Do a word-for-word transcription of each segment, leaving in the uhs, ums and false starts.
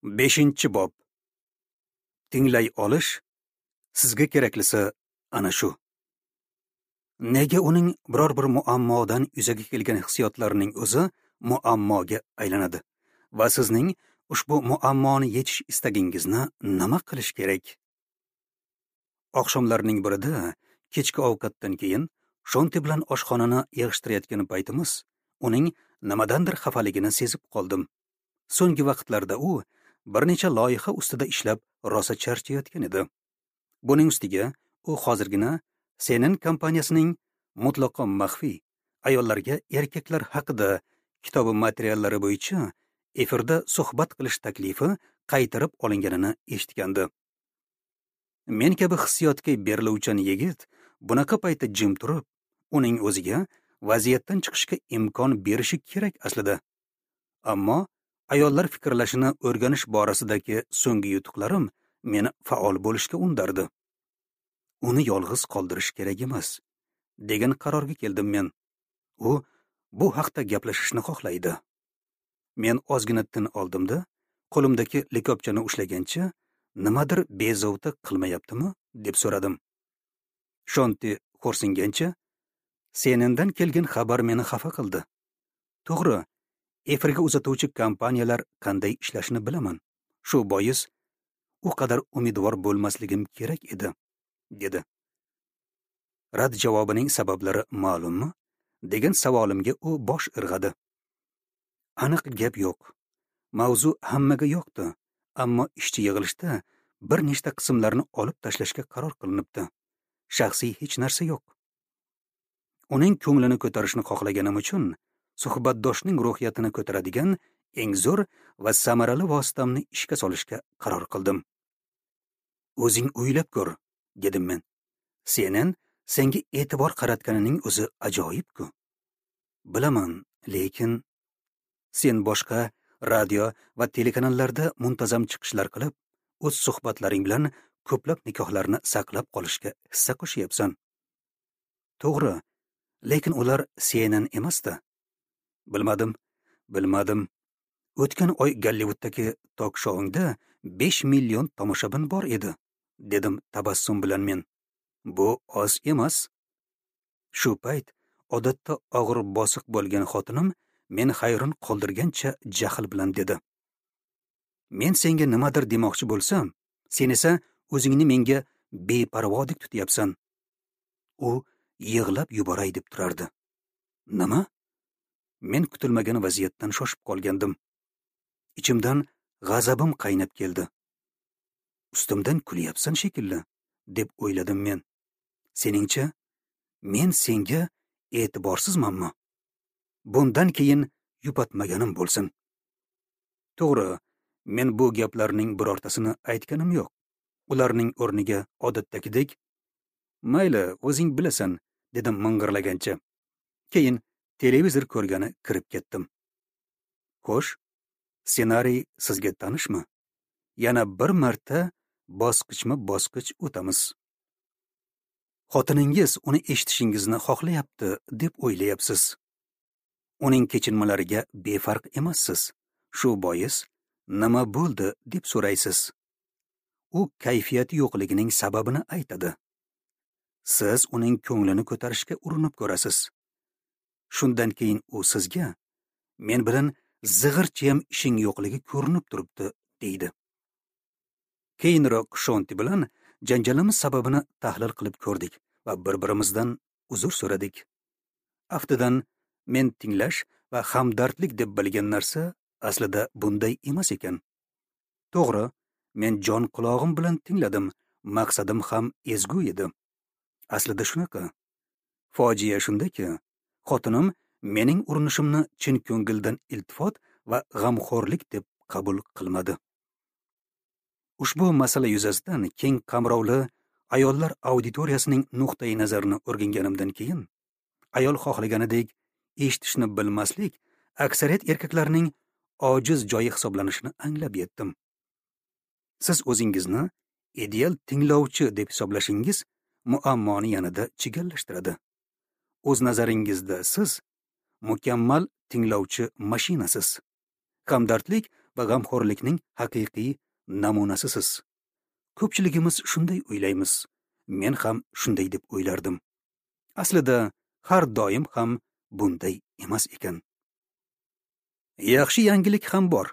Beshinchi bob. Tinglay olish sizga keraklisi ana shu. Nega uning biror bir muammodan yuzaga kelgan hissiyotlarining o'zi muammoga aylanadi va sizning ushbu muammoni yechish istagingizni nima qilish kerak? Oqshomlarning birida kechki ovqatdan keyin Shonti bilan oshxonani yig'ishtirayotgan paytimiz uning nimadandir xafaligini sezib qoldim. So'nggi vaqtlarda u bir necha loyiha ustida ishlab rosa charchayotgan edi. Buning ustiga u hozirgina C N N kompaniyasining mutlaqo maxfiy ayollarga erkaklar haqida kitobi materiallari bo'yicha efirda suhbat qilish taklifi qaytarib olinganini eshitgandi. Men kabi hissiyotga beriluvchan yigit bunaqa paytda jim turib, uning o'ziga vaziyatdan chiqishga imkon berishi kerak aslida. Ammo ayollar fikrlashini o'rganish borasidagi so'nggi yutuqlarim meni faol bo'lishga undardi. Uni yolg'iz qoldirish kerak emas, degan qarorga keldim men. U bu haqda gaplashishni xohlaydi. Men ozgina tin oldimda, qo'limdagi likopchani ushlagancha, nimadir bezovta qilmayaptimi, deb so'radim. Shonti xo'rsingancha, C N N'dan kelgan xabar meni xafa qildi. To'g'ri, efirga uzatuvchi kompaniyalar qanday ishlashini bilaman. Shu bois u qadar umidvor bo'lmasligim kerak edi, dedi. Rad javobining sabablari ma'lummi? Degan savolimga u bosh irg'adi. Aniq gap yo'q. Mavzu hammaga yoqdi, ammo ishchi yig'ilishda bir nechta qismlarni olib tashlashga qaror qilinibdi. Shaxsiy hech narsa yo'q. Uning ko'nglini ko'tarishni xohlaganim uchun suhbatdoshning ruhiyatini ko'taradigan eng zo'r va samarali vositamni ishga solishga qaror qildim. O'zing o'ylab ko'r, dedim men. C N N senga e'tibor qaratganining o'zi ajoyib-ku. Bilaman, lekin sen boshqa radio va telekanallarda muntazam chiqishlar qilib, o'z suhbatlaring bilan ko'plab nikohlarni saqlab qolishga hissa qo'shyapsan. To'g'ri, lekin ular C N N emasdi. Bilmadim, bilmadim. O'tgan oy Gollivuddagi tok-shouingda besh million tomoshabin bor edi, dedim tabassum bilan men. Bu oz emas. Shu payt odatda og'ir bosiq bo'lgan xotinim meni hayron qoldirgancha jahl bilan dedi. Men senga nimadir demoqchi bo'lsam, sen esa o'zingni menga beparvodek tutyapsan. U yig'lab yuboray deb turardi. Nima? Men kutilmagan vaziyatdan shoshib qolgandim. Ichimdan g'azabim qaynab keldi. Ustimdan kulyapsan shekilli, deb o'yladim men. Seningcha, men senga e'tiborsizmanmi? Bundan keyin yupatmaganim bo'lsin. To'g'ri, men bu gaplarning birortasini aytganim yo'q. Ularning o'rniga odatdagidek, mayli, o'zing bilasan, dedim ming'irlagancha. Keyin televizor ko'rgani kirib ketdim. Xo'sh, ssenariy sizga tanishmi? Yana bir marta bosqichma-bosqich o'tamiz. Xotiningiz uni eshitishingizni xohlayapti deb o'ylayapsiz. Uning kechinmalariga befarq emassiz. Shu bois nima bo'ldi deb so'raysiz. U kayfiyati yo'qligining sababini aytadi. Siz uning ko'nglini ko'tarishga urinib ko'rasiz. Shundan keyin u sizga men bilan zig'irchiyam ishing yo'qligi ko'rinib turibdi, deydi. Keyinroq Shonti bilan janjalimiz sababini tahlil qilib ko'rdik va bir-birimizdan uzr so'radik. Aftidan men tinglash va hamdardlik deb bilgan narsa aslida bunday emas ekan. To'g'ri, men jon qulog'im bilan tingladim, maqsadim ham ezgu edi. Aslida shunaqa. Fojia shundaki, xotinim mening urinishimni chin ko'ngildan iltifot va g'amxo'rlik deb qabul qilmadi. Ushbu masala yuzasidan keng qamrovli ayollar auditoriyasining nuqtai nazarini o'rganganimdan keyin, ayol xohlaganidek eshitishni bilmaslik aksariyat erkaklarning ojiz joyi hisoblanishini anglab yetdim. Siz o'zingizni ideal tinglovchi deb hisoblashingiz muammoni yanada chigallashtiradi. O'z nazaringizda siz mukammal tinglovchi mashinasiz. Hamdardlik va g'amxo'rlikning haqiqiy namunasisiz. Ko'pchiligimiz shunday o'ylaymiz. Men ham shunday deb o'ylardim. Aslida har doim ham bunday emas ekan. Yaxshi yangilik ham bor.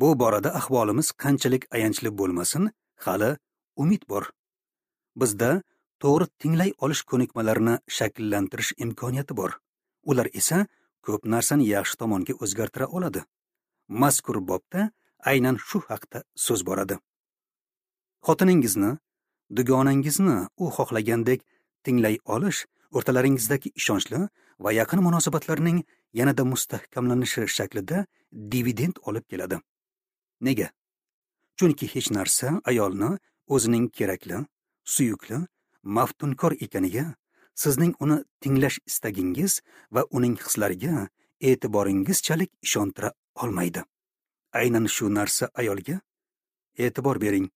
Bu borada ahvolimiz qanchalik ayanchli bo'lmasin, hali umid bor. Bizda to'g'ri tinglay olish ko'nikmalarini shakllantirish imkoniyati bor. Ular esa ko'p narsani yaxshi tomonga o'zgartira oladi. Mazkur bobda aynan shu haqda so'z boradi. Xotiningizni, dugonangizni u xohlagandek tinglay olish o'rtalaringizdagi ishonchli va yaqin munosabatlarning yanada mustahkamlanishi shaklida dividend olib keladi. Nega? Chunki hech narsa ayolni o'zining kerakli, suyukli, maftunkor ekaniga, sizning uni tinglash istagingiz va uning hislariga e'tiboringizchalik ishontira olmaydi. Aynan shu narsa ayolga e'tibor bering.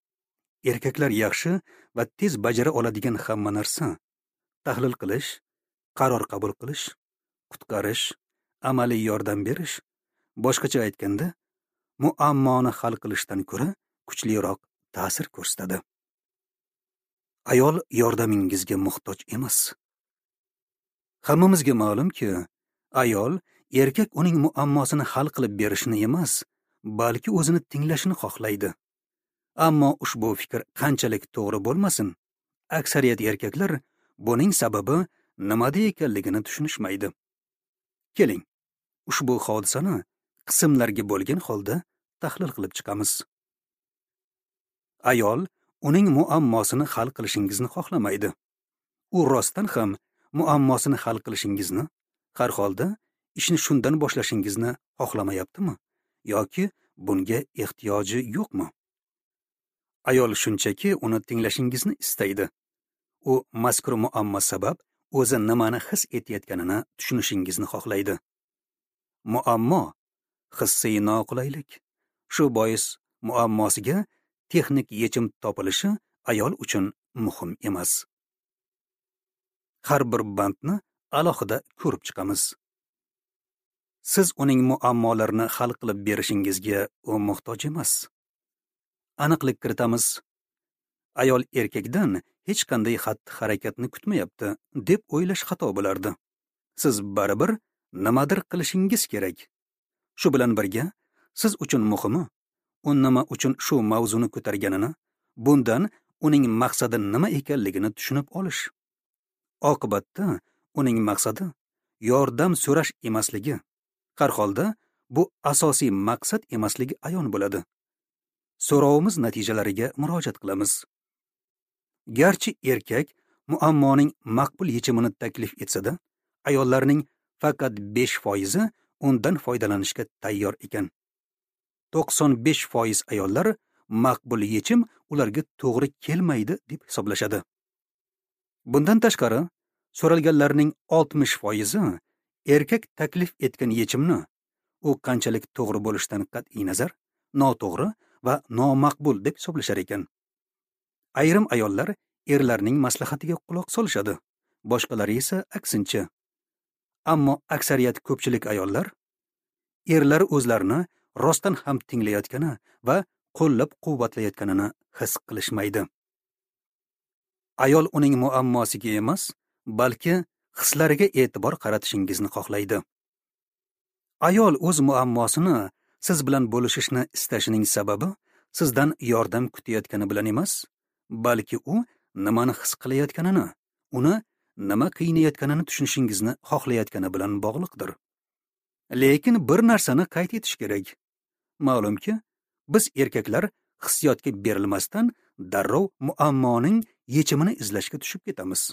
Erkaklar yaxshi va tez bajara oladigan hamma narsa: tahlil qilish, qaror qabul qilish, qutqarish, amaliy yordam berish, boshqacha aytganda, muammoni hal qilishdan ko'ra kuchliroq ta'sir ko'rsatadi. Ayol yordamingizga muhtoj emas. Hammamizga ma'lumki, ayol erkak uning muammosini hal qilib berishini emas, balki o'zini tinglashini xohlaydi. Ammo ushbu fikr qanchalik to'g'ri bo'lmasin, aksariyat erkaklar buning sababi nimada ekanligini tushunishmaydi. Keling, ushbu hodisani qismlarga bo'lgan holda tahlil qilib chiqamiz. Ayol uning muammosini hal qilishingizni xohlamaydi. U rostdan ham muammosini hal qilishingizni, har holda ishni shundan boshlashingizni xohlamayaptimi yoki bunga ehtiyoji yo'qmi? Ayol shunchaki uni tinglashingizni istaydi. U mazkur muammo sabab o'zi nimani his etayotganini tushunishingizni xohlaydi. Muammo hissiy noqulaylik. Shu bois muammosiga texnik yechim topilishi ayol uchun muhim emas. Har bir bandni alohida ko'rib chiqamiz. Siz uning muammolarini hal qilib berishingizga u muhtoj emas. Aniqlik kiritamiz. Ayol erkakdan hech qanday xatti-harakatni kutmayapti deb o'ylash xato bo'lardi. Siz baribir nimadir qilishingiz kerak. Shu bilan birga, siz uchun muhimi u nima uchun shu mavzuni ko'targanini, bundan uning maqsadi nima ekanligini tushunib olish. Oqibatda uning maqsadi yordam so'rash emasligi, har holda bu asosiy maqsad emasligi ayon bo'ladi. So'rovimiz natijalariga murojaat qilamiz. Garchi erkak muammoning maqbul yechimini taklif etsa-da, ayollarning faqat besh foizi undan foydalanishga tayyor ekan. to'qson besh foiz ayollar maqbul yechim ularga to'g'ri kelmaydi deb hisoblashadi. Bundan tashqari, so'ralganlarning oltmish foizi erkak taklif etgan yechimni u qanchalik to'g'ri bo'lishidan qat'iy nazar noto'g'ri va nomaqbul deb hisoblashar ekan. Ayrim ayollar erlarning maslahatiga quloq solishadi, boshqalari esa aksincha. Ammo aksariyat ko'pchilik ayollar erlar o'zlarini rostdan ham tinglayotgani va qo'llab-quvvatlayotganini his qilishmaydi. Ayol uning muammosiga emas, balki hislariga e'tibor qaratishingizni xohlaydi. Ayol o'z muammosini siz bilan bo'lishishni istashining sababi sizdan yordam kutayotgani bilan emas, balki u nimani his qilayotganini, uni nima qiynayotganini tushunishingizni xohlayotgani bilan bog'liqdir. Lekin bir narsani qayd etish kerak. Ma'lumki, biz erkaklar hissiyotga berilmasdan darrov muammoning yechimini izlashga tushib ketamiz.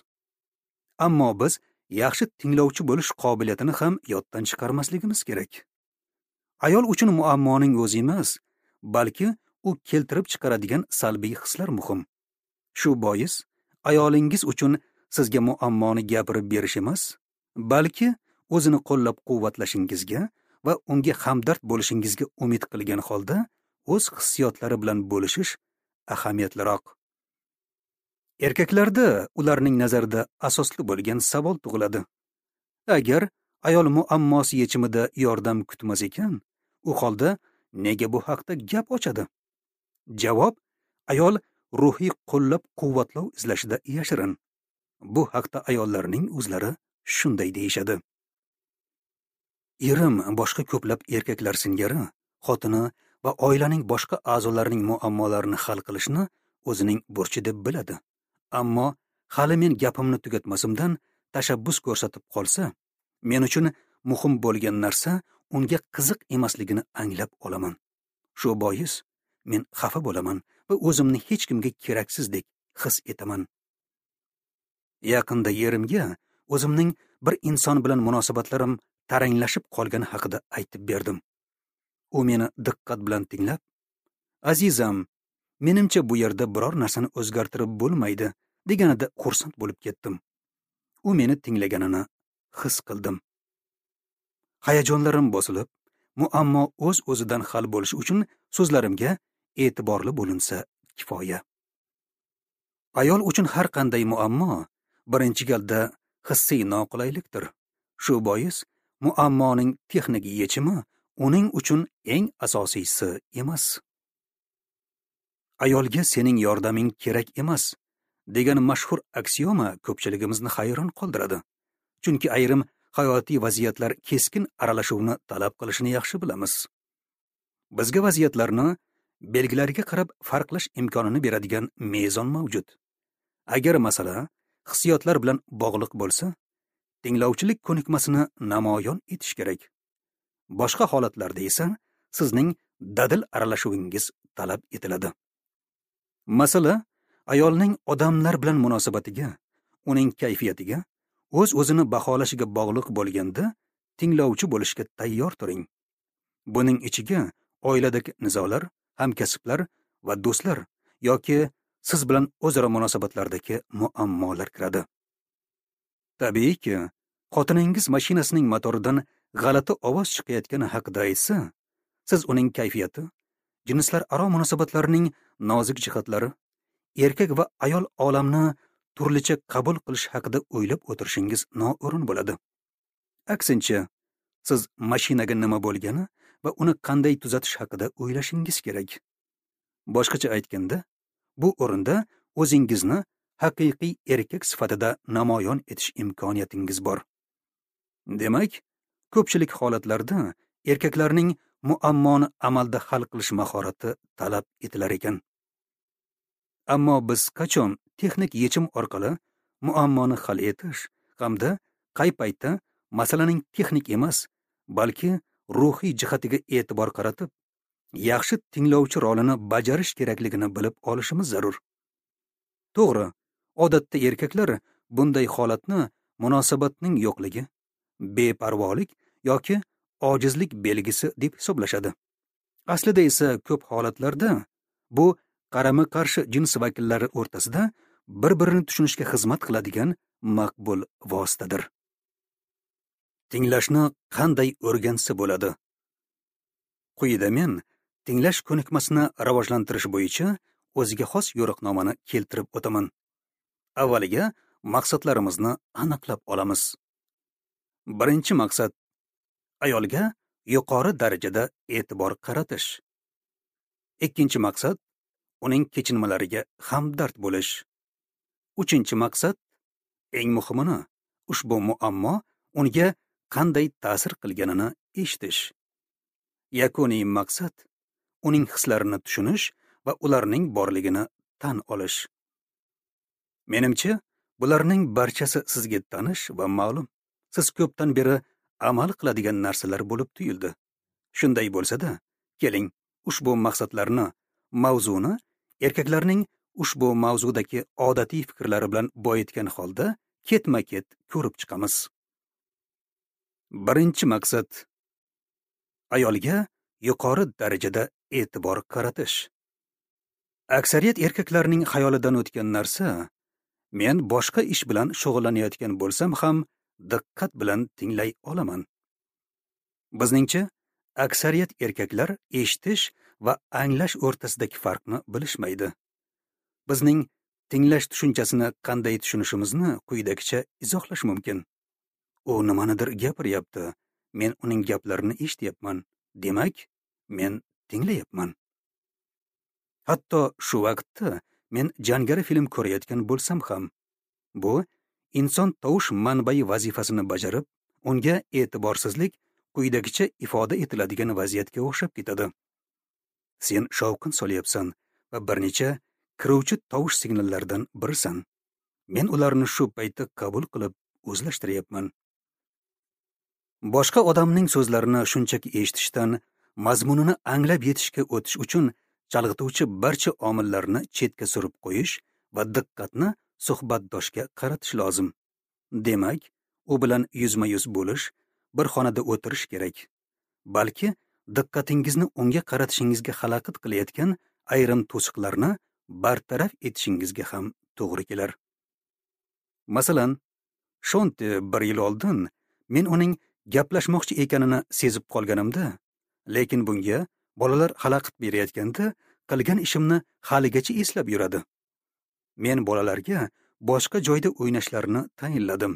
Ammo biz yaxshi tinglovchi bo'lish qobiliyatini ham yoddan chiqarmasligimiz kerak. Ayol uchun muammoning o'zi emas, balki u keltirib chiqaradigan salbiy hislar muhim. Shu bois ayolingiz uchun sizga muammoni gapirib berish emas, balki o'zini qo'llab-quvvatlashingizga va unga hamdard bo'lishingizga umid qilgan holda o'z hissiyotlari bilan bo'lishish ahamiyatliroq. Erkaklarda ularning nazarida asosli bo'lgan savol tug'iladi. Agar ayol muammosi yechimida yordam kutmas ekan, u holda nega bu haqda gap ochadi? Javob: ayol ruhiy qo'llab-quvvatlov izlashida yashirin. Bu haqda ayollarning o'zlari shunday deyishadi. Erim boshqa ko'plab erkaklar singari xotini va oilaning boshqa a'zolarining muammolarini hal qilishni o'zining burchi deb biladi. Ammo hali men gapimni tugatmasimdan tashabbus ko'rsatib qolsa, men uchun muhim bo'lgan narsa unga qiziq emasligini anglab olaman. Shu bois men xafa bo'laman va o'zimni hech kimga keraksizdek his etaman. Yaqinda erimga o'zimning bir inson bilan munosabatlarim taranglashib qolgani haqida aytib berdim. U meni diqqat bilan tinglab, "Azizam, menimcha bu yerda biror narsani o'zgartirib bo'lmaydi", deganida xursand bo'lib ketdim. U meni tinglaganini his qildim. Hayajonlarim bosilib, muammo o'z-o'zidan hal bo'lishi uchun so'zlarimga e'tiborli bo'linsa kifoya. Ayol uchun har qanday muammo birinchi galda hissiy noqulaylikdir. Shu bois muammoning texnik yechimi uning uchun eng asosiysi emas. Ayolga sening yordaming kerak emas degan mashhur aksioma ko'pchiligimizni hayron qoldiradi. Chunki ayrim hayotiy vaziyatlar keskin aralashuvni talab qilishini yaxshi bilamiz. Bizga vaziyatlarni belgilariga qarab farqlash imkonini beradigan mezon mavjud. Agar masala hissiyotlar bilan bog'liq bo'lsa, tinglovchilik ko'nikmasini namoyon etish kerak. Boshqa holatlarda esa sizning dadil aralashuvingiz talab etiladi. Masala ayolning odamlar bilan munosabatiga, uning kayfiyatiga, o'z-o'zini baholashiga bog'liq bo'lganda tinglovchi bo'lishga tayyor turing. Buning ichiga oiladagi nizolar, hamkasblar va do'stlar yoki siz bilan o'zaro munosabatlardagi muammolar kiradi. Tabiiyki, xotiningiz mashinasining motoridan g'alati ovoz chiqayotgani haqida aytsa, siz uning kayfiyati, jinslararo munosabatlarning nozik jihatlari, erkak va ayol olamni turlicha qabul qilish haqida o'ylab o'tirishingiz noo'rin bo'ladi. Aksincha, siz mashinaga nima bo'lgani va uni qanday tuzatish haqida o'ylashingiz kerak. Boshqacha aytganda, bu o'rinda o'zingizni haqiqiy erkak sifatida namoyon etish imkoniyatingiz bor. Demak, ko'pchilik holatlarda erkaklarning muammoni amalda hal qilish mahorati talab etilar ekan. Ammo biz qachon texnik yechim orqali muammoni hal etish hamda qay paytda masalaning texnik emas, balki ruhiy jihatiga e'tibor qaratib, yaxshi tinglovchi rolini bajarish kerakligini bilib olishimiz zarur. To'g'ri, odatda erkaklar bunday holatni munosabatning yo'qligi, beparvolik yoki ojizlik belgisi deb hisoblashadi. Aslida esa ko'p holatlarda bu qarama-qarshi jins vakillari o'rtasida bir-birini tushunishga xizmat qiladigan maqbul vositadir. Tinglashni qanday o'rgansa bo'ladi? Quyida men tinglash ko'nikmasini rivojlantirish bo'yicha o'ziga xos yo'riqnomani keltirib o'taman. Avvaliga maqsadlarimizni aniqlab olamiz. Birinchi maqsad ayolga yuqori darajada e'tibor qaratish. Ikkinchi maqsad uning kechinmalariga hamdard bo'lish. Uchinchi maqsad, eng muhimini, ushbu muammo unga qanday ta'sir qilganini eshitish. Yakuniy maqsad uning hislarini tushunish va ularning borligini tan olish. Menimcha, bularning barchasi sizga tanish va ma'lum. Siz ko'pdan beri amal qiladigan narsalar bo'lib tuyuldi. Shunday bo'lsa-da, keling, ushbu maqsadlarni, mavzuni erkaklarning ushbu mavzudagi odatiy fikrlari bilan boyitgan holda ketma-ket ko'rib chiqamiz. Birinchi maqsad ayolga yuqori darajada e'tibor qaratish. Aksariyat erkaklarning xayolidan o'tgan narsa, men boshqa ish bilan shug'ullanayotgan bo'lsam ham diqqat bilan tinglay olaman. Bizningcha, aksariyat erkaklar eshitish va anglash o'rtasidagi farqni bilishmaydi. Bizning tinglash tushunchasini qanday tushunishimizni quyidagicha izohlash mumkin. U nimanidir gapiryapti, men uning gaplarini eshityapman. Demak, men tinglayapman. Hatto shu vaqtda men jangari film ko'rayotgan bo'lsam ham, bu inson tovush manbai vazifasini bajarib, unga e'tiborsizlik quyidagicha ifoda etiladigan vaziyatga o'xshab ketadi. Sen shovqin solyapsan va bir necha kiruvchi tovush signallaridan birisan. Men ularni shu paytda qabul qilib o'zlashtiryapman. Boshqa odamning so'zlarini shunchaki eshitishdan mazmunini anglab yetishga o'tish uchun chalg'ituvchi barcha omillarni chetga surib qo'yish va diqqatni suhbatdoshga qaratish lozim. Demak, u bilan yuzma-yuz bo'lish, bir xonada o'tirish kerak. Balki diqqatingizni unga qaratishingizga xalaqit qilayotgan ayrim to'siqlarni bartaraf etishingizga ham to'g'ri kelar. Masalan, Shonti bir yil oldin men uning gaplashmoqchi ekanini sezib qolganimda, lekin bunga bolalar xalaqit berayotganda qilgan ishimni haligacha eslab yuradi. Men bolalarga boshqa joyda o'ynashlarini tayinladim.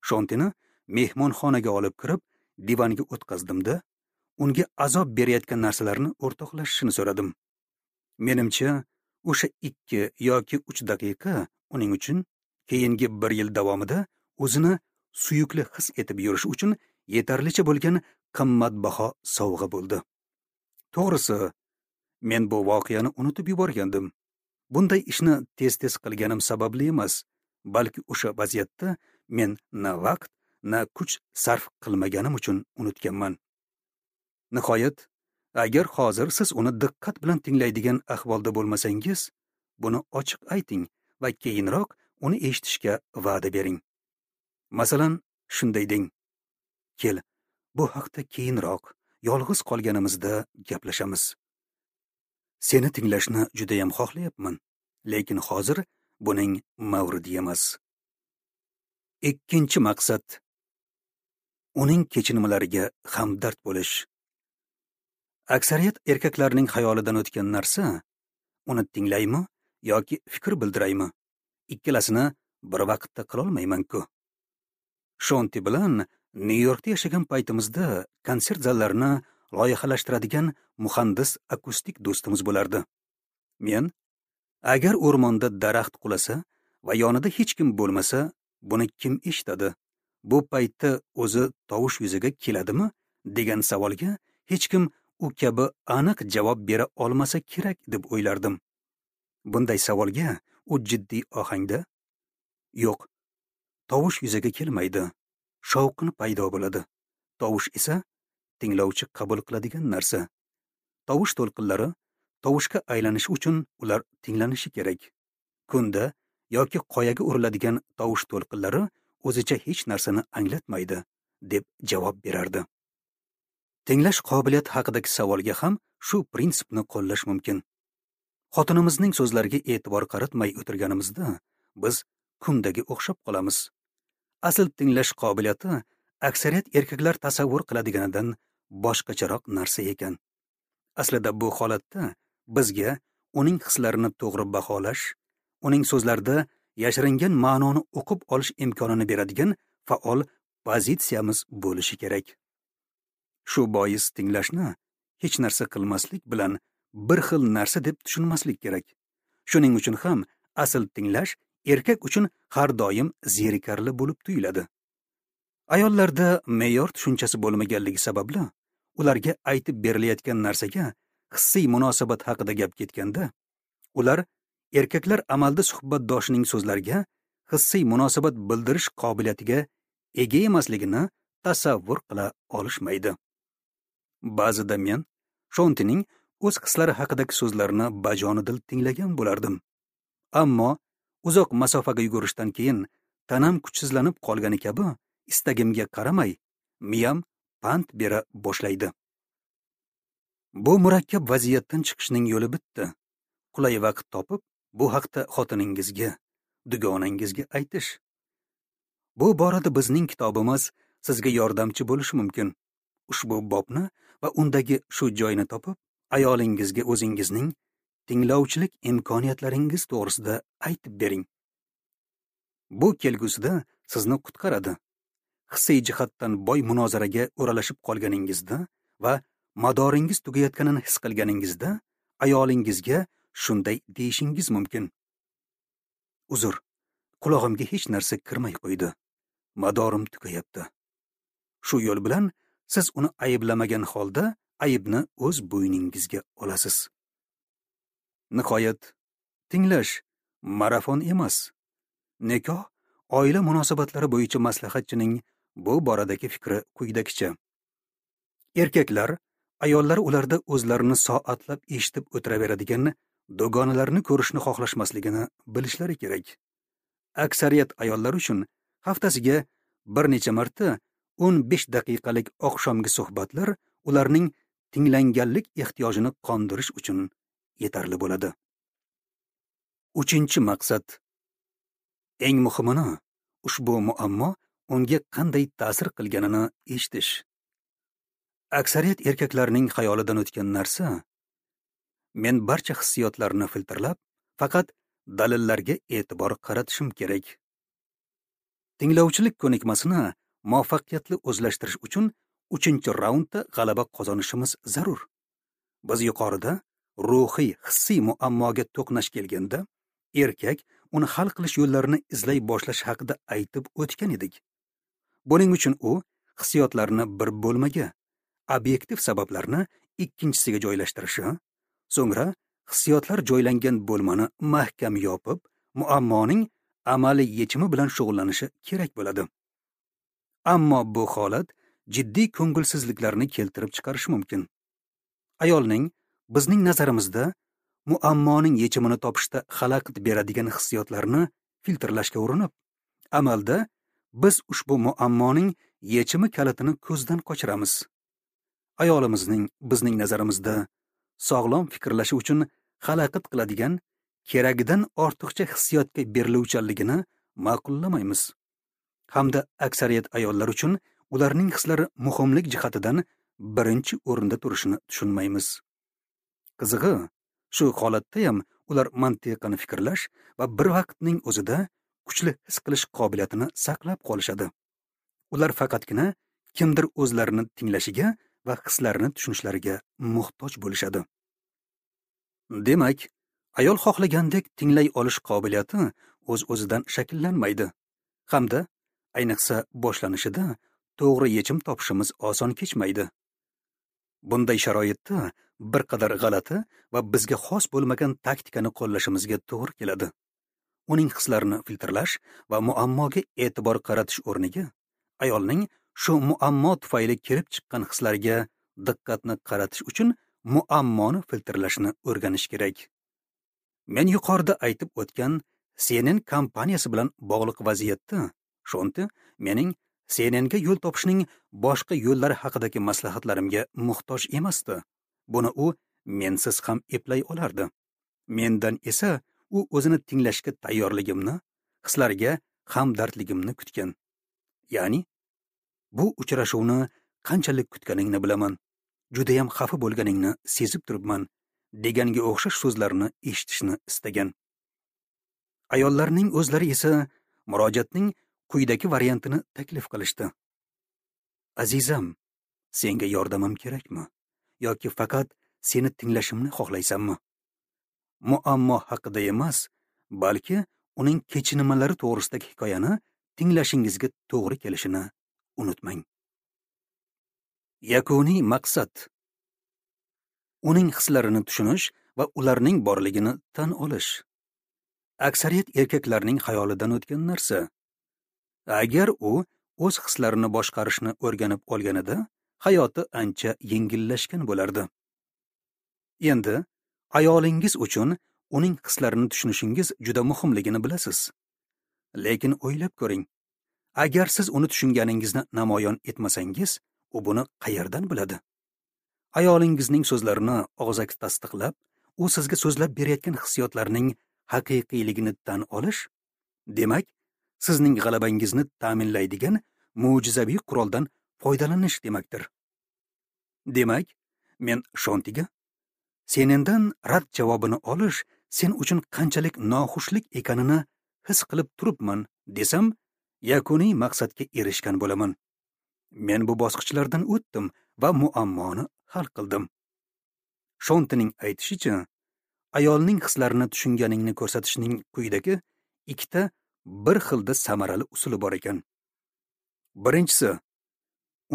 Shontini mehmonxonaga olib kirib, divanga o'tqazdimda, unga azob berayotgan narsalarni o'rtoqlashishini so'radim. Menimcha, o'sha ikki yoki uch daqiqa uning uchun keyingi bir yil davomida o'zini suyukli his etib yurish uchun yetarlicha bo'lgan qimmatbaho sovg'a bo'ldi. To'g'risi, men bu voqeani unutib yuborgandim. Bunday ishni tez-tez qilganim sababli emas, balki o'sha vaziyatda men na vaqt, na kuch sarf qilmaganim uchun unutganman. Nihoyat, agar hozir siz uni diqqat bilan tinglaydigan ahvolda bo'lmasangiz, buni ochiq ayting va keyinroq uni eshitishga va'da bering. Masalan, shunday deng: "Kel, bu haqda keyinroq, yolg'iz qolganimizda gaplashamiz. Seni tinglashni juda ham xohlayapman, lekin hozir buning mavridi emas." Ikkinchi maqsad uning kechinmalariga hamdard bo'lish. Aksariyat erkaklarning xayolidan o'tgan narsa, uni tinglaymi yoki fikr bildiraymi? Ikkalasini bir vaqtda qila olmayman-ku. Shonti bilan Nyu-Yorkda yashagan paytimizda konsert zallarini loyihalashtiradigan muhandis akustik do'stimiz bo'lardi. Men, agar o'rmonda daraxt qulasa va yonida hech kim bo'lmasa, buni kim eshitadi? Bu paytda o'zi tovush yuzaga keladimi? Degan savolga hech kim u kabi aniq javob bera olmasa kerak deb o'ylardim. Bunday savolga u jiddiy ohangda, yo'q, tovush yuzaga kelmaydi, shovqin paydo bo'ladi. Tovush esa tinglovchi qabul qiladigan narsa. Tovush to'lqinlari tovushga aylanishi uchun ular tinglanishi kerak. Kunda yoki qoyaga uriladigan tovush to'lqinlari o'zicha hech narsani anglatmaydi, deb javob berardi. Tinglash qobiliyati haqidagi savolga ham shu prinsipni qo'llash mumkin. Xotinimizning so'zlariga e'tibor qaratmay o'tirganimizda biz kundaga o'xshab qolamiz. Asl tinglash qobiliyati aksariyat erkaklar tasavvur qiladiganidan boshqacharoq narsa ekan. Aslida bu holatda bizga uning hislarini to'g'ri baholash, uning so'zlarida yashiringan ma'noni o'qib olish imkonini beradigan faol pozitsiyamiz bo'lishi kerak. Shu bois tinglashni hech narsa qilmaslik bilan bir xil narsa deb tushunmaslik kerak. Shuning uchun ham asl tinglash erkak uchun har doim zerikarli bo'lib tuyuladi. Ayollarda me'yor tushunchasi bo'lmaganligi sababli ularga aytib berilayotgan narsaga hissiy munosabat haqida gap ketganda, ular erkaklar amalda suhbatdoshining so'zlariga hissiy munosabat bildirish qobiliyatiga ega emasligini tasavvur qila olishmaydi. Ba'zida men Shontining o'z hislari haqidagi so'zlarini bajonidil tinglagan bo'lardim. Ammo uzoq masofaga yugurishdan keyin tanam kuchsizlanib qolgani kabi istagimga qaramay miyam pand bera boshlaydi. Bu murakkab vaziyatdan chiqishning yo'li bitta. Qulay vaqt topib, bu haqda xotiningizga, dugonangizga aytish. Bu borada bizning kitobimiz sizga yordamchi bo'lishi mumkin. Ushbu bobni va undagi shu joyni topib, ayolingizga o'zingizning tinglovchilik imkoniyatlaringiz to'g'risida aytib bering. Bu kelgusida sizni qutqaradi. Hissiy jihatdan boy munozaraga o'ralashib qolganingizda va madoringiz tugayotganini his qilganingizda ayolingizga shunday deyishingiz mumkin: "Uzr, qulog'imga hech narsa kirmay qo'ydi. Madorim tugayapti." Shu yo'l bilan siz uni ayblamagan holda aybni o'z bo'yningizga olasiz. Nihoyat, tinglash marafon emas. Nikoh, oila munosabatlari bo'yicha maslahatchining bu boradagi fikri quyidagicha: erkaklar ayollar ularda o'zlarini soatlab eshitib o'tiraveradigan dugonalarni ko'rishni xohlashmasligini bilishlari kerak. Aksariyat ayollar uchun haftasiga bir necha marta o'n besh daqiqalik oqshomgi suhbatlar ularning tinglanganlik ehtiyojini qondirish uchun yetarli bo'ladi. Uchinchi maqsad. Eng muhimini, ushbu muammo unga qanday ta'sir qilganini eshitish. Aksariyat erkaklarning xayolidan o'tgan narsa: men barcha hissiyotlarni filtrlab, faqat dalillarga e'tibor qaratishim kerak. Tinglovchilik ko'nikmasini muvaffaqiyatli o'zlashtirish uchun uchinchi raundda g'alaba qozonishimiz zarur. Biz yuqorida ruhiy, hissiy muammoga to'qnash kelganda, erkak uni hal qilish yo'llarini izlay boshlash haqida aytib o'tgan edik. Buning uchun u hissiyotlarni bir bo'lmaga, obyektiv sabablarni ikkinchisiga joylashtirishi, so'ngra hissiyotlar joylangan bo'lmani mahkam yopib, muammoning amaliy yechimi bilan shug'ullanishi kerak bo'ladi. Ammo bu holat jiddiy ko'ngilsizliklarni keltirib chiqarishi mumkin. Ayolning bizning nazarimizda muammoning yechimini topishda xalaqit beradigan hissiyotlarni filtrlashga urinib, amalda biz ushbu muammoning yechimi kalitini ko'zdan qochiramiz. Ayolimizning bizning nazarimizda sog'lom fikrlashi uchun xalaqit qiladigan keragidan ortiqcha hissiyotga beriluvchanligini ma'qullamaymiz. Hamda aksariyat ayollar uchun ularning hislari muhimlik jihatidan birinchi o'rinda turishini tushunmaymiz. Qizig'i, shu holatda ham ular mantiqan fikrlash va bir vaqtning o'zida kuchli his qilish qobiliyatini saqlab qolishadi. Ular faqatgina kimdir o'zlarini tinglashiga va hislarini tushunishlariga muhtoj bo'lishadi. Demak, ayol xohlagandek tinglay olish qobiliyati o'z-o'zidan shakllanmaydi. Hamda ayniqsa boshlanishida to'g'ri yechim topishimiz oson kechmaydi. Bunday sharoitda bir qadar g'alati va bizga xos bo'lmagan taktikani qo'llashimizga to'g'ri keladi. Uning hislarini filtrlash va muammoga e'tibor qaratish o'rniga ayolning shu muammo tufayli kelib chiqqan hislariga diqqatni qaratish uchun muammoni filtrlashni o'rganish kerak. Men yuqorida aytib o'tgan C N N kompaniyasi bilan bog'liq vaziyatda Shonti mening C N N ga yo'l topishning boshqa yo'llari haqidagi maslahatlarimga muhtoj emasdi. Buni u mensiz ham eplay olardi. Mendan esa u o'zini tinglashga tayyorligimni, hislariga hamdardligimni kutgan. Ya'ni bu uchrashuvni qanchalik kutganingni bilaman, juda ham xafa bo'lganingni sezib turibman deganga o'xshash so'zlarni eshitishni istagan. Ayollarning o'zlari esa murojaatning quyidagi variantini taklif qilishdi. Azizam, senga yordamim kerakmi yoki faqat seni tinglashimni xohlaysanmi? Muammo haqida emas, balki uning kechinmalari to'g'risidagi hikoyani tinglashingizga to'g'ri kelishini unutmang. Yakuniy maqsad: uning hislarini tushunish va ularning borligini tan olish. Aksariyat erkaklarning xayolidan o'tgan narsa. Agar u o'z hislarini boshqarishni o'rganib olganida, hayoti ancha yengillashgan bo'lardi. Endi ayolingiz uchun uning hislarini tushunishingiz juda muhimligini bilasiz. Lekin o'ylab ko'ring. Agar siz uni tushunganingizni namoyon etmasangiz, u buni qayerdan biladi? Ayolingizning so'zlarini og'zaki tasdiqlab, u sizga so'zlab berayotgan hissiyotlarning haqiqiyligini tan olish, demak, sizning g'alabangizni ta'minlaydigan mo'jizaviy quroldan foydalanish demakdir. Demak, men Shontiga senendan rad javobini olish sen uchun qanchalik noxushlik ekanini his qilib turibman desam, yakuniy maqsadga erishgan bo'laman. Men bu bosqichlardan o'tdim va muammoni hal qildim. Shontining aytishicha, ayolning hislarini tushunganingni ko'rsatishning quyidagi ikkita bir xilda samarali usuli bor ekan. Birinchisi,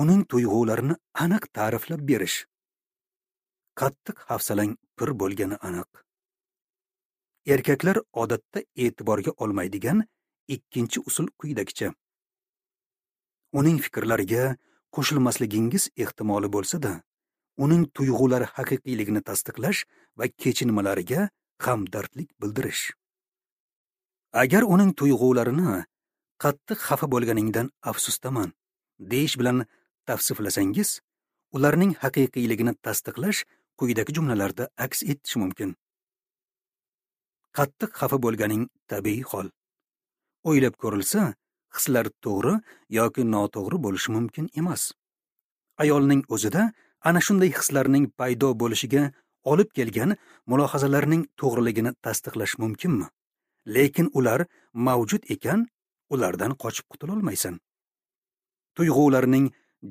uning tuyg'ularini aniq ta'riflab berish. Qattiq hafsalang pir bo'lgani aniq. Erkaklar odatda e'tiborga olmaydigan ikkinchi usul quyidagicha. Uning fikrlariga qo'shilmasligingiz ehtimoli bo'lsa-da, uning tuyg'ulari haqiqiyligini tasdiqlash va kechinmalariga hamdardlik bildirish. Agar uning tuyg'ularini qattiq xafa bo'lganingdan afsusdaman deyish bilan tavsiflasangiz, ularning haqiqiyligini tasdiqlash quyidagi jumlalarda aks etishi mumkin. Qattiq xafa bo'lganing tabiiy hol. O'ylab ko'rilsa, hislar to'g'ri yoki noto'g'ri bo'lishi mumkin emas. Ayolning o'zida ana shunday hislarning paydo bo'lishiga olib kelgan mulohazalarning to'g'riligini tasdiqlash mumkinmi? Lekin ular mavjud ekan, ulardan qochib qutula olmaysan. Tuyg'ularning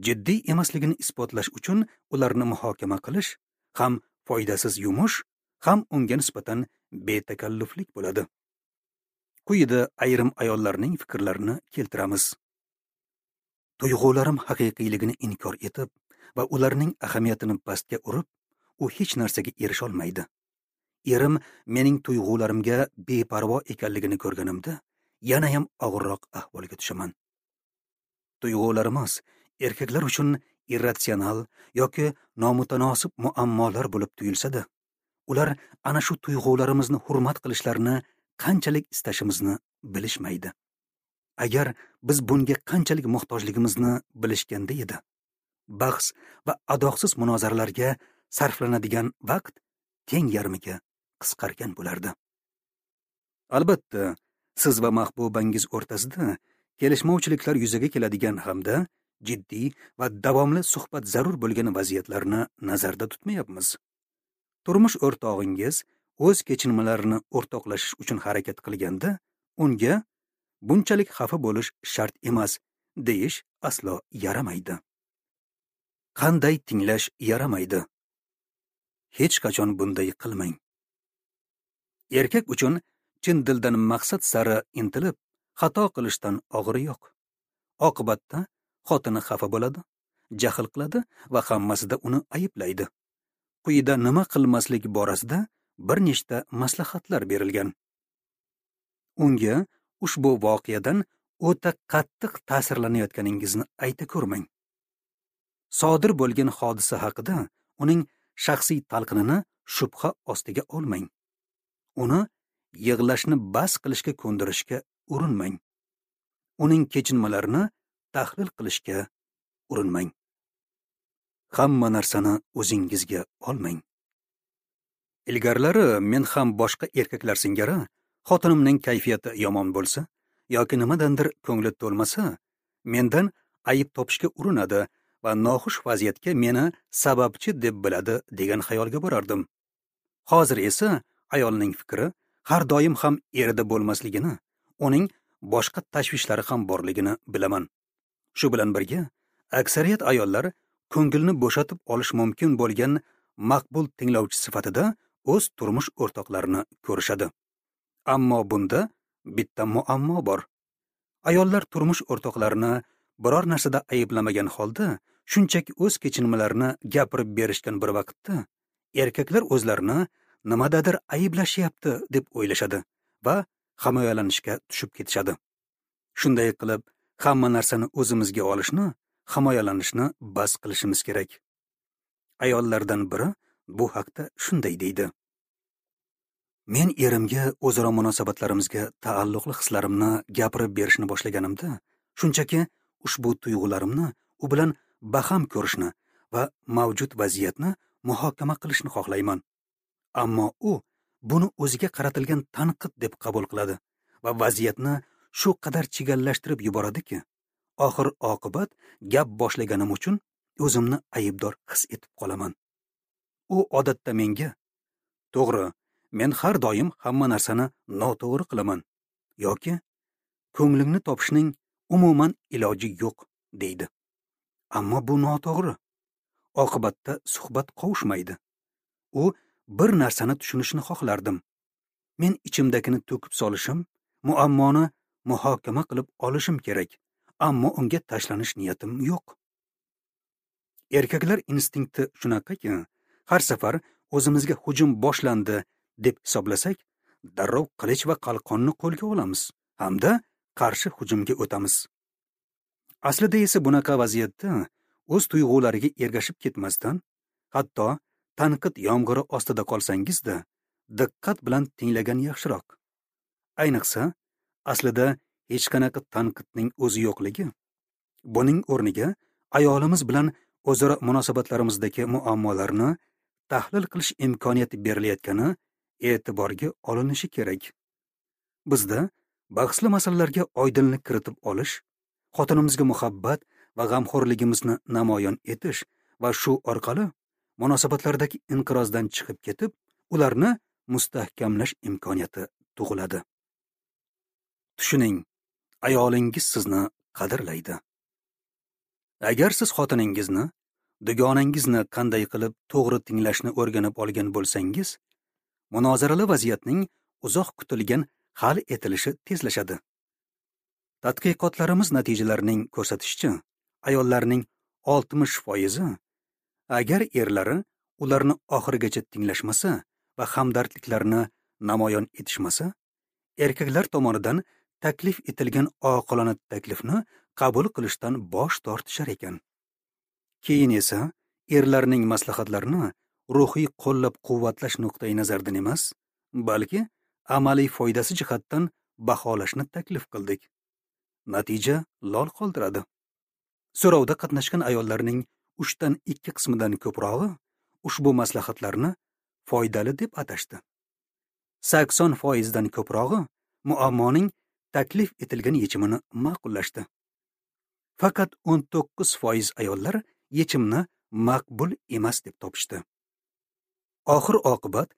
jiddiy emasligini isbotlash uchun ularni muhokama qilish ham foydasiz yumush, ham unga nisbatan betakalluflik bo'ladi. Quyida ayrim ayollarning fikrlarini keltiramiz. Tuyg'ularim haqiqiyligini inkor etib va ularning ahamiyatini pastga urib, u hech narsaga erisha olmaydi. Erim mening tuyg'ularimga beparvo ekanligini ko'rganimda, yana ham og'irroq ahvolga tushaman. Tuyg'ularimiz erkaklar uchun irratsional yoki nomutanosib muammolar bo'lib tuyulsa-da, ular ana shu tuyg'ularimizni hurmat qilishlarini qanchalik istashimizni bilishmaydi. Agar biz bunga qanchalik muhtojligimizni bilishganda edi, bahs va adoqsiz munozaralarga sarflanadigan vaqt teng yarmiga qisqargan bo'lardi. Albatta, siz va mahbubangiz o'rtasida kelishmovchiliklar yuzaga keladigan hamda jiddiy va davomli suhbat zarur bo'lgan vaziyatlarni nazarda tutmayapmiz. Turmush o'rtog'ingiz o'z kechinmalarini o'rtoqlashish uchun harakat qilganda, unga bunchalik xafa bo'lish shart emas deyish aslo yaramaydi. Qanday tinglash yaramaydi? Hech qachon bunday qilmang. Erkak uchun chin dildan maqsad sari intilib, xato qilishdan og'iri yo'q. Oqibatda xotini xafa bo'ladi, jahl qiladi va hammasida uni ayblaydi. Quyida nima qilmaslik borasida bir nechta maslahatlar berilgan. Unga ushbu voqeadan o'ta qattiq ta'sirlanayotganingizni ayta ko'rmang. Sodir bo'lgan hodisa haqida uning shaxsiy talqinini shubha ostiga olmang. Uni yig'lashni bas qilishga ko'ndirishga urinmang. Uning kechinmalarini tahlil qilishga urinmang. Hamma narsani o'zingizga olmang. Ilgarilari men ham boshqa erkaklar singari xotinimning kayfiyati yomon bo'lsa yoki nimadandir ko'ngli to'lmasa, mendan ayib topishga urinadi va noxush vaziyatga meni sababchi deb biladi degan xayolga borardim. Hozir esa ayolning fikri har doim ham erida bo'lmasligini, uning boshqa tashvishlari ham borligini bilaman. Shu bilan birga, aksariyat ayollar ko'ngilni bo'shatib olish mumkin bo'lgan maqbul tinglovchi sifatida o'z turmush o'rtoqlarini ko'rishadi. Ammo bunda bitta muammo bor. Ayollar turmush o'rtoqlarini biror narsada ayblamagan holda shunchaki o'z kechinmalarini gapirib berishgan bir vaqtda erkaklar o'zlarini nimadadir ayblashyapti deb o'ylashadi va himoyalanishga tushib ketishadi. Shunday qilib, hamma narsani o'zimizga olishni, himoyalanishni bas qilishimiz kerak. Ayollardan biri bu haqda shunday deydi: Men erimga o'zaro munosabatlarimizga taalluqli hislarimni gapirib berishni boshlaganimda, shunchaki ushbu tuyg'ularimni u bilan baham ko'rishni va mavjud vaziyatni muhokama qilishni xohlayman. Ammo u buni o'ziga qaratilgan tanqid deb qabul qiladi va vaziyatni shu qadar chigallashtirib yuboradiki, oxir oqibat gap boshlaganim uchun o'zimni aybdor his etib qolaman. U odatda menga: "To'g'ri, men har doim hamma narsani noto'g'ri qilaman" yoki "Ko'nglingni topishning umuman iloji yo'q" deydi. Ammo bu noto'g'ri. Oqibatda suhbat qovushmaydi. U bir narsani tushunishini xohlardim. Men ichimdagini to'kib solishim, muammoni muhokama qilib olishim kerak, ammo unga tashlanish niyatim yo'q. Erkaklar instinkti shunaqaki, har safar o'zimizga hujum boshlandi deb hisoblasak, darrov qilich va qalqonni qo'lga olamiz hamda qarshi hujumga o'tamiz. Aslida esa bunaqa vaziyatda o'z tuyg'ulariga ergashib ketmasdan, hatto tanqid yomg'iri ostida qolsangiz-da, diqqat bilan tinglagan yaxshiroq. Ayniqsa, aslida hech qanaqa tanqidning o'zi yo'qligi, buning o'rniga ayolimiz bilan o'zaro munosabatlarimizdagi muammolarni tahlil qilish imkoniyati berilayotgani e'tiborga olinishi kerak. Bizda bahsli masalalarga oydinlik kiritib olish, xotinimizga muhabbat va g'amxo'rligimizni namoyon etish va shu orqali munosabatlardagi inqirozdan chiqib ketib, ularni mustahkamlash imkoniyati tug'iladi. Tushuning, ayolingiz sizni qadrlaydi. Agar siz xotiningizni, dugonangizni qanday qilib to'g'ri tinglashni o'rganib olgan bo'lsangiz, munozarali vaziyatning uzoq kutilgan hal etilishi tezlashadi. Tadqiqotlarimiz natijalarining ko'rsatishicha, ayollarning oltmish foizi agar erlari ularni oxirigacha tinglashmasa va hamdardliklarini namoyon etishmasa, erkaklar tomonidan taklif etilgan oqilona taklifni qabul qilishdan bosh tortishar ekan. Keyin esa erlarning maslahatlarini ruhiy qo'llab-quvvatlash nuqtai nazaridan emas, balki amaliy foydasi jihatdan baholashni taklif qildik. Natija lol qoldiradi. So'rovda qatnashgan ayollarning uchdan ikki qismidan ko'prog'i ushbu maslahatlarni foydali deb atashdi. sakson foizdan ko'prog'i muammoning taklif etilgan yechimini ma'qullashdi. Faqat o'n to'qqiz foiz ayollar yechimni maqbul emas deb topishdi. Oxir oqibat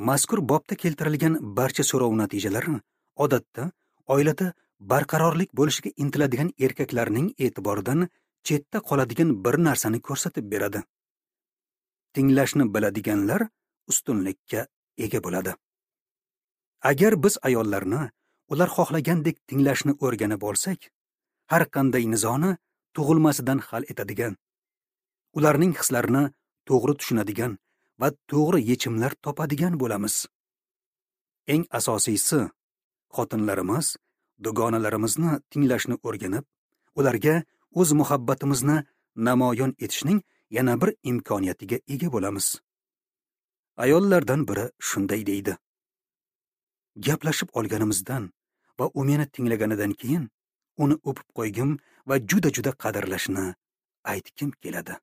mazkur bobda keltirilgan barcha so'rov natijalari odatda oilada barqarorlik bo'lishiga intiladigan erkaklarning e'tiboridan chetda qoladigan bir narsani ko'rsatib beradi. Tinglashni biladiganlar ustunlikka ega bo'ladi. Agar biz ayollarni ular xohlagandek tinglashni o'rganib olsak, har qanday nizoni tug'ilmasidan hal etadigan, ularning hislarini to'g'ri tushunadigan va to'g'ri yechimlar topadigan bo'lamiz. Eng asosiysi, xotinlarimiz, dugonalarimizni tinglashni o'rganib, ularga o'z muhabbatimizni namoyon etishning yana bir imkoniyatiga ega bo'lamiz. Ayollardan biri shunday deydi: Gaplashib olganimizdan va u meni tinglaganidan keyin uni o'pib qo'ygim va juda-juda qadrlashni aytgim keladi.